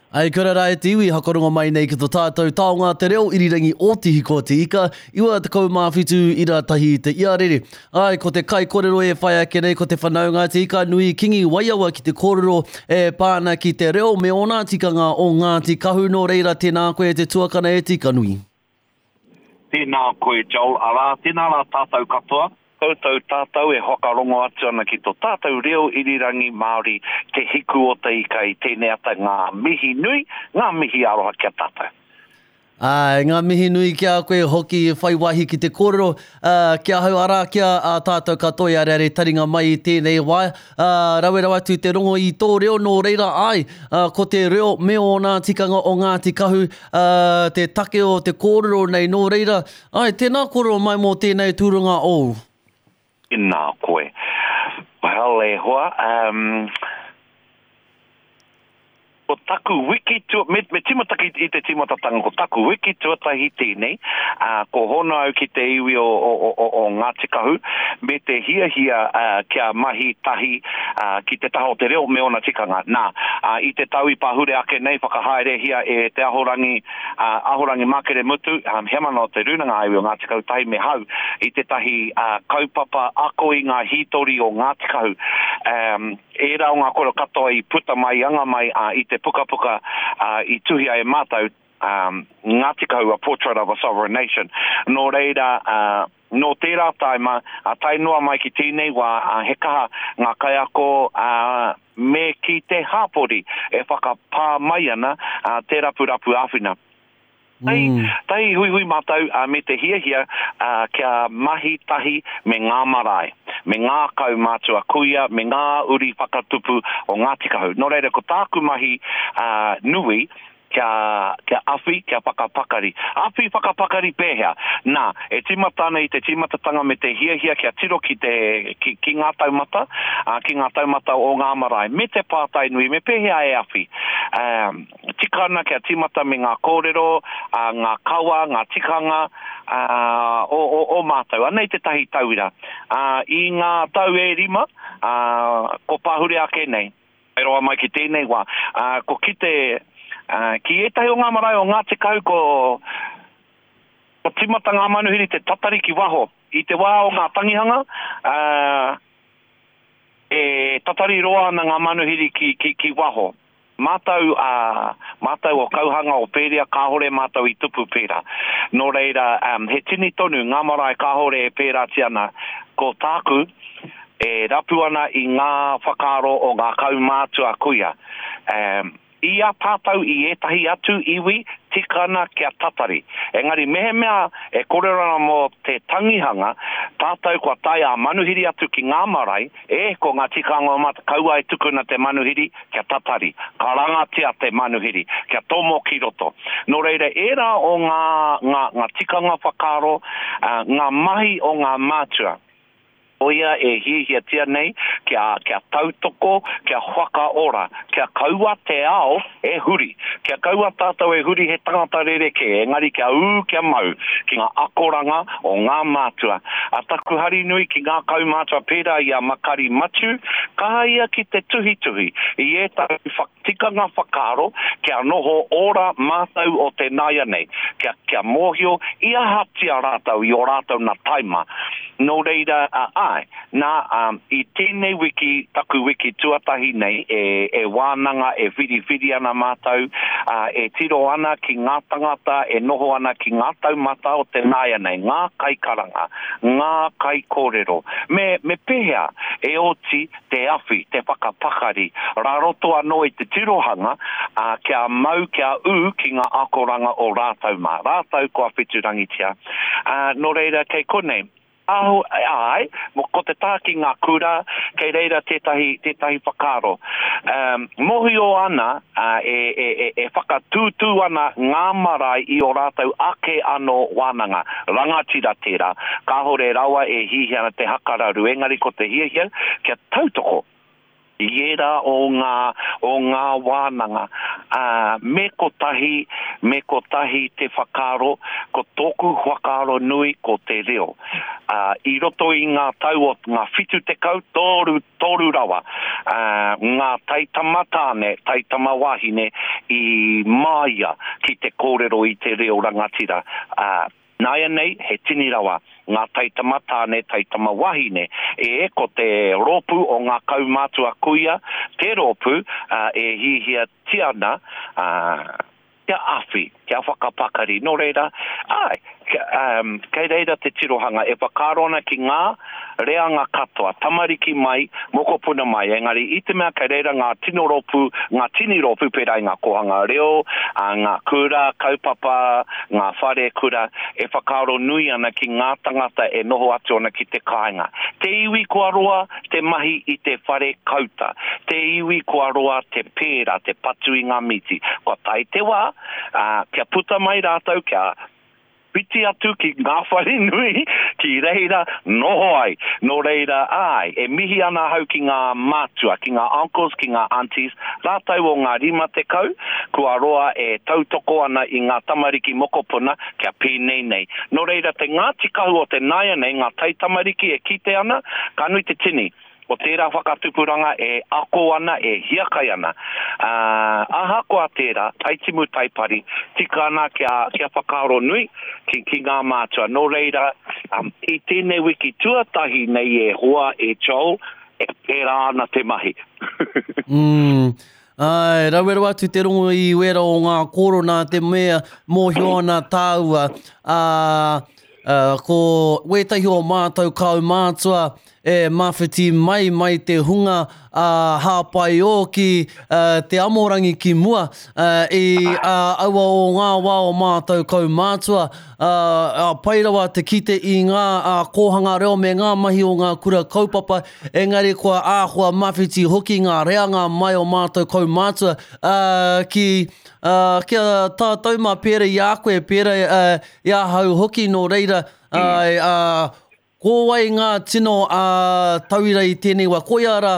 Ai, kia ora rā e te iwi, hakarongo mai nei ki to tātou taonga te reo irirangi o Te Hiko o Te Ika, 97 ira tahi te iarere. Ai, ko te kaikorero e whai ake nei ko te whanaunga Te Ika Nui Kingi Waiawa ki te kōrero e pā ana ki te reo me ōna tikanga o Ngāti Kahu, nō reira tēnā koe e te tuakana e Te Ika Nui. Tēnā koe Joel, arā, tēnā rā tātou katoa. Koutou tātou e whakarongo atu ana ki to tātou reo irirangi Māori Te Hiku o Te Ika i tēnei ata ngā mihi nui, ngā mihi aroha ki a tātou. Āe, ngā mihi nui ki a koe hoki i whai wāhi ki te kōrero ki ahau, arā, ki a tātou katoa i areare taringa mai i tēnei wā. Ā, rawe rawa atu te rongo i tō reo, nō reira, āe, ko te reo me ōna tikanga o Ngāti Kahu, ā, te take o te kōrero nei, nō reira, āe, tēnā kōrero mai mō tēnei tūranga ōu. Tēnā koe. Well, e hoa, um, Ko taku wiki tua, me, me tīmata ki, i te tīmatatanga, ko taku wiki tuatahi tēnei, ā, ko hono au ki te iwi o, o, o, o, o Ngāti Kahu, me te hiahia, ā, kia mahi tahi, ā, ki te taha o te reo me ōna tikanga. Nā, ā, i te tau i pahure ake nei, whakahaerehia e Te Ahorangi, ā, Ahorangi Makere Mutu, ā, heamana o Te Rūnanga ā-Iwi o Ngāti Kahu tahi me Hau, i tētahi, ā, kaupapa ako i ngā hītori o Ngāti Kahu. Ā, Ērā o ngā kōrero katoa i puta mai, i anga mai i te pukapuka i tuhia e mātou, Ngāti Kahu, A Portrait of a Sovereign Nation. Nō reira, nō tērā taima, tae noa mai ki tēnei wā, he kaha ngā kaiako me ki te hāpori e whakapā mai ana te rapurapu āwhina. Tahi, tahi huihui mātou me te hiahia kia mahi tahi me ngā marae, me ngā kaumātua kuia, me ngā uri whakatupu o Ngāti Kahu. Nō reira, ko tāku mahi nui, kia, kia awhi, kia whakapakari. Awhi whakapakari pēhea? Nā, e tīmata ana i te tīmatatanga me te hiahia kia tiro ki te, ki, ki ngā taumata, ki ngā taumata o ngā marae, me te pātai nui, me pēhea e awhi? Tika ana kia tīmata me ngā kōrero, ngā kawa, ngā tikanga o, o, o mātou. Anei tētahi tauira. I ngā tau e rima, ko pahure ake nei, tae roa mai ki tēnei wā, ko kite, ki ētahi o ngā marae o Ngāti Kahu ko, ko tīmata ngā manuhiri te tatari ki waho. I te wā o ngā tangihanga, e tatari roa ana ngā manuhiri ki, ki, ki waho. Mātou a, mātou o Kauhanga o Pēria kāore mātou i tupu pērā. Nō reira, he tini tonu ngā marae kāore e pērātia ana. Ko tāku, e rapu ana i ngā whakaaro o ngā kaumātua kuia. I a tātou i ētahi atu iwi, tika ana kia tatari. Engari mehemea e kōrero ana mō te tangihanga, tātou kua tae ā-manuhiri atu ki ngā marae, E, ko ngā tikanga o mata, kaua e tukuna te manuhiri kia tatari, karangatia te manuhiri, kia tomo ki roto. Nō reira, ērā o ngā, ngā, ngā tikanga whakaaro, ngā mahi o ngā mātua, koia e hiahiatia nei kia, kia tautoko, kia whakaora, kia kaua te ao e huri. Kia kaua tātou e huri he tangata rerekē, engari kia ū, kia mau ki ngā akoranga o ngā mātua. A taku hari nui ki ngā kaumātua pērā i a Makari Matiu, kaha ia ki te tuhituhi i ētahi tikanga whakaaro kia noho ora mātou o te nāianei, kia, kia mōhio i ahatia rātou i ō rātou na taima. Nō reira, āe, Nā, i tēnei wiki, taku wiki tuatahi nei, e, e wānanga, e whiriwhiri ana mātou, ā, e tiro ana ki ngā tangata e noho ana ki ngā taumata o te nāianei, ngā kaikaranga, ngā kaikōrero, me, me pēhea e oti te awhi, te whakapakari, rā roto anō i te tirohanga, ā, kia mau, kia ū ki ngā akoranga o rātou mā, rātou kua wheturangitia. Ā, nō reira, kei konei, Aho, āe, ko te taha ki ngā kura, kei reira tētahi, tētahi whakaaro. Um, mōhio ana, uh, e, e, e, e whakatūtū ana ngā marae i ō rātou ake anō wānanga. Rangatira tērā, kāore rawa e hiahia ana te hakararu, engari ko te hiahia kia tautoko i ērā o ngā, o ngā wānanga. Ā, me kotahi, me kotahi te whakaaro, ko tōku whakaaro nui ko te reo. Ā, i roto i ngā tau o ngā 70, toru, toru rawa, ā, ngā taitama tāne, taitama wāhine i māia ki te kōrero i te reo rangatira, ā, Nāianei, he tini rawa ngā taitama tāne, taitama wahine, e, ko te rōpū o ngā kaumātua kuia te rōpū e hiahiatia ana kia awhi, kia whakapakari. Nō reira, āe, kei reira te tirohanga e whakaaro ana ki ngā reanga katoa, tamariki mai, mokopuna mai, engari i te mea kei reira ngā tino rōpū, ngā tini rōpū pērā i ngā kōhanga reo, ngā kura, kaupapa, ngā whare kura, e whakaaro nui ana ki ngā tangata e noho atu ana ki te kāinga. Te iwi kua roa te mahi i te whare kauta, te iwi kua roa te pērā, te patu i ngā mīti. Kua tae te wā, ā, kia puta mai rātou, kia Whiti atu ki ngā whare nui, ki reira noho ai. Nō reira, āe, e mihi ana ahau ki ngā mātua, ki ngā uncles, ki ngā aunties, rātou o ngā 50, kua roa e tautoko ana i ngā tamariki mokopuna kia pēnei nei. Nō reira, te Ngāti Kahu o te nāianei, ngā taitamariki e kite ana, ka nui te tini. o tērā whakatupuranga e ako ana, e hiakai ana. Ā, ahakoa tērā, taitimu taipari, tika ana kia, kia whakaaro nui ki, ki ngā mātua. Nō reira, i tēnei wiki tuatahi nei e hoa, e Joel, e pērā ana te mahi. Mm. Āe, rawe rawa atu te rongo i wera o ngā kōro nā te mea mōhio ana tāua, ā, ko wētahi o mātou kaumātua e mawhiti mai mai te hunga ā, hāpai ō ki te amorangi ki mua i aua o ngā wā o mātou kaumātua, ā, pai rawa te kite i ngā kōhanga reo me ngā mahi o ngā kura kaupapa, engari kua āhua mawhiti hoki ngā reanga mai o mātou kaumātua, ā, ki, ā, ki a tātou mā pērā i a koe, pērā i ahau hoki, nō reira, āe, ā, ko wai ngā tino tauira i tēnei wā? Koia rā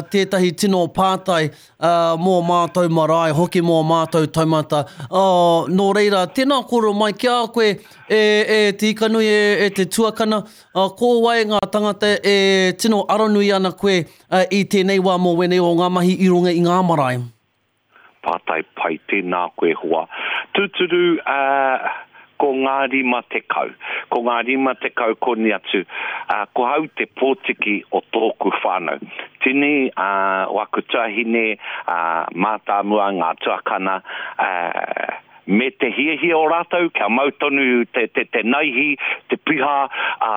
tētahi tino pātai mō mātou marae, hoki mō mātou taumata. Nō reira, tēnā kōrero mai ki a koe e, e Te Ikanui, e, e te tuakana, ko wai ngā tangata e tino aronui ana koe i tēnei wā mō wēnei o ngā mahi i runga i ngā marae? Pātai pai, tēnā koe hoa. Tūturu, ā, ko ngā 50. Ko ngā 50 koni atu, ā, ko hau te pōtiki o tōku whānau. Tini, ā, waku tuahine, ā, mātāmua, ngā tuakana, ā, me te hiahia o rātou kia mau tonu te, te, te naihi, te piha, ā,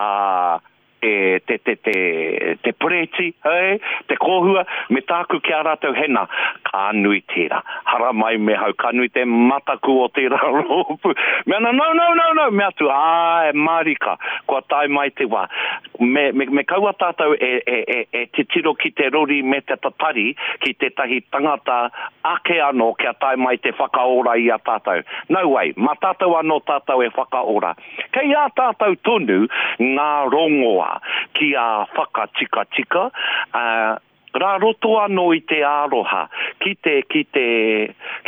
te, te, te, te, te pereti, hey, te kōhua, me tāku ki a rātou hena, ka nui tērā. Haramai me hau, ka nui te mataku o tērā rōpū. Me ana, no, no, no, no, me atu, āe, mārika, kua tae mai te wā. Me, me, me kaua tātou e, e, e, e titiro ki te rori me te tatari ki tētahi tangata ake anō kia tae mai te whakaora i a tātou. No way, mā tātou anō tātou e whakaora. Kei a tātou tonu ngā rongoa ki a whakatikatika, ā, rā roto anō i te aroha ki te, ki te,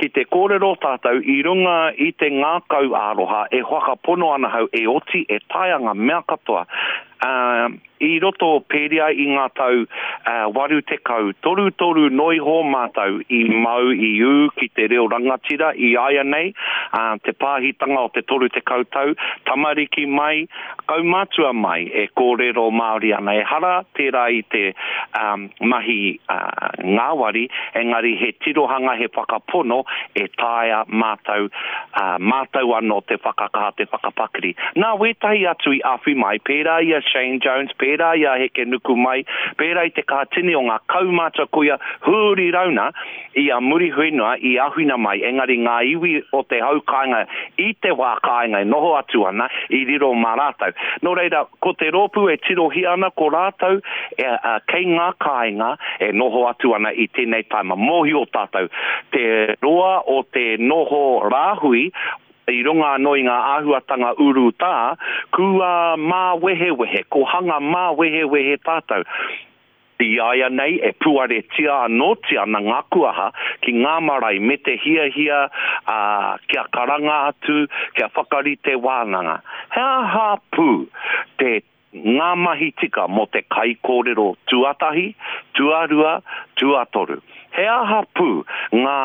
ki te kōrero tātou i runga i te ngākau aroha e whakapono ana hau e oti, e taea ngā mea katoa. Ā, I roto o Pēria i ngā tau 80, torutoru noa iho mātou i mau, i ū ki te reo rangatira i āianei, te pāhitanga o te 30 tau, tamariki mai, kaumātua mai e kōrero Māori ana. Ehara tērā i te mahi ngāwari, engari he tirohanga, he whakapono e taea mātou ā, mātou anō te whakakaha, te whakapakari. Nā wētahi atu i awhi mai, pērā i a Shane Jones, pērā i a Hekenukumai, pērā i te kaha tini o ngā kaumātua kuia huri rauna i a Muriwhenua i awhina mai, engari ngā iwi o te hau kāinga i te wā kāinga e noho atu ana, i riro mā rātou. Nō reira, ko te rōpū e tirohia ana ko rātou e, ā, kei ngā kāinga e noho atu ana i tēnei taima. Mōhio tātou, te roa o te noho rāhui i runga anō i ngā āhuatanga urutā, kua māwehewehe, ko hanga māwehewehe tātou. Iāianei e puaretia anōtia ana ngā kuaha ki ngā marae me te hiahia ā, kia karanga atu, kia whakarite wānanga. He aha pū te ngā mahi tika mō te kaikōrero tuatahi, tuarua, tuatoru? He aha pū ngā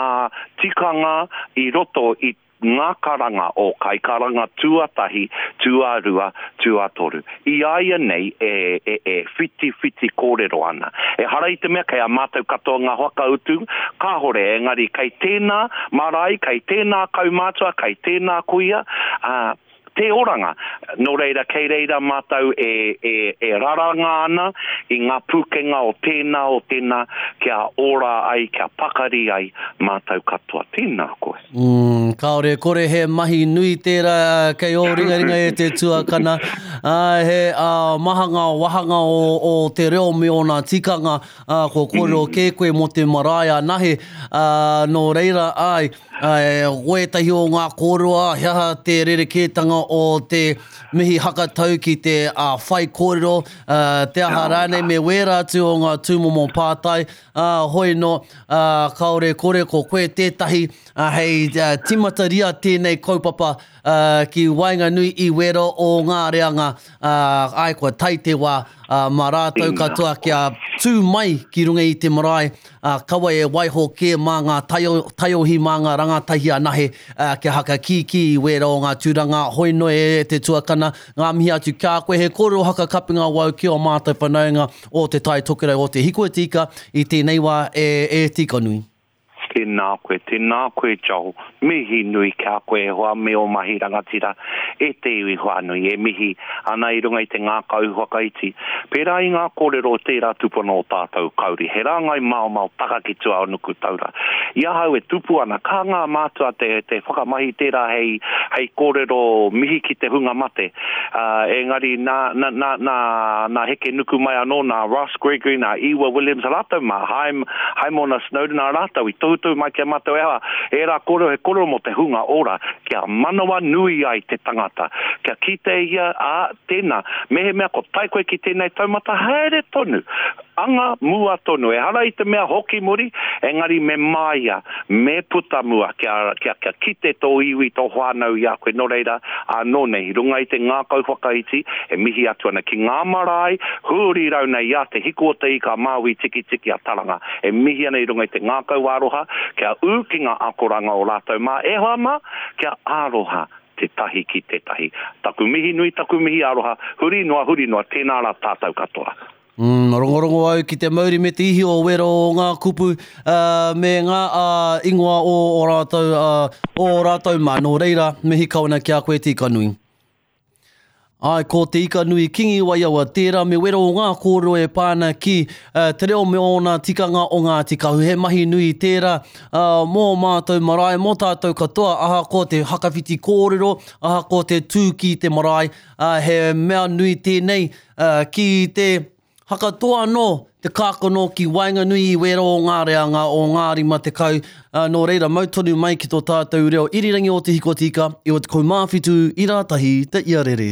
tikanga i roto i ngā karanga o kaikaranga tuatahi, tuarua, tuatoru. I a ia nei e, e, e whitiwhiti kōrero ana. Ehara i te mea kei a mātou katoa ngā whakautu, kāhore, engari kei tēnā marae, kei tēnā kaumātua, kei tēnā kuia, ā, te oranga. Nō reira, kei reira mātou e, e, e raranga ana i ngā pūkenga o tēnā, o tēnā, kia ora ai, kia pakari ai mātou katoa. Tēnā koe. Mm, kāore e kore he mahi nui tērā kei ō ringaringa e te tuakana. Ā, he ā, maha ngā wāhanga o, o te reo me ōna tikanga, ā, kua kōrero kē koe mō te marae anahe, ā, nō reira, āe, Āe, ko ētahi o ngā kōrero, ā, he aha te rerekētanga o te mihi hakatau ki te whaikōrero, te aha rānei me wērā atu o ngā tūmomo pātai, ā, hoi nō, ā, kāore e kore ko koe tētahi hei tīmataria tēnei kaupapa ki waenganui i wērā o ngā reanga, ā, āe kua tae te wā, ā, mā rātou katoa kia tū mai ki runga i te marae, ā, kaua e waiho kē mā ngā taio, taiohi mā ngā rangatahi anahe, ā, kia hakakīkī i wērā o ngā tūranga, hoi noa e te tuakana, ngā mihi atu ki a koe, he kōrero hakakapinga wau ki ō mātou whanaunga o Te Tai Tokerau o Te Hiko e Tika i tēnei wā e, e Tikanui. Tēnā koe, tēnā koe Joel, mihi nui ki a koe e hoa me ō mahi rangatira e te iwi whānui e mihi ana i runga i te ngākau whakaiti. Pērā i ngā kōrero o tērā tupuna o tātou Kauri, he rāngai maomao taka ki tua o Nukutaura. I ahau e tupu ana, ka ngā mātua te, te whakamahi tērā hei, hei kōrero mihi ki te hunga mate. Ā, engari nā, nā, nā, nā, nā Hekenukumai anō, nā Ross Gregory, nā Ewa Williams rātou mā, Haim, Haimona Snowden, nā rātou i tohutohu mai ki a mātou e aha, ērā kōrero he kōrero mō te hunga ora, kia manawanui ai te tangata, kia kite ia, ā, tēnā, mehemea ko tae koe ki tēnei taumata, haere tonu, anga mua tonu, ehara i te mea hoki muri, engari me māia, me puta mua, kia, kia, kia kite tō iwi, tō whānau i a koe, nō reira, ānō nei, i runga i te ngākau whakaiti, e mihi atu ana ki ngā marae, huri rau nei i a Te Hiku o Te Ika a Māui Tikitiki a Taranga, e mihi ana i runga i te ngākau aroha, kia ū ki ngā akoranga o rātou mā, e hoa mā, kia aroha tētahi ki tētahi. Taku mihi nui, taku mihi aroha, huri noa, huri noa, tēnā rā tātou katoa. Mm, rongorongo au ki te mauri me te ihi o wero o ngā kupu uh, me ngā uh, ingoa o o rātou, uh, o rātou mā. Nō reira, mihi kau ana ki a koe Tikanui. Āe, ko Te Ikanui Kingi Waiawa tērā me wero o ngā kōrero e pā ana ki uh, te reo me ōna tikanga o Ngāti Kahu. He mahi nui tērā uh, mō mātou marae, mō tātou katoa, ahakoa te hakawhiti kōrero, ahakoa te tū ki te marae, uh, he mea nui tēnei uh, ki te hakatoa anō te kākano ki waenganui i wērā o ngā reanga o ngā 50, ā, nō reira mau tonu mai ki tō tātou reo irirangi o Te Hiko Tika, 97 i rātahi te iarere.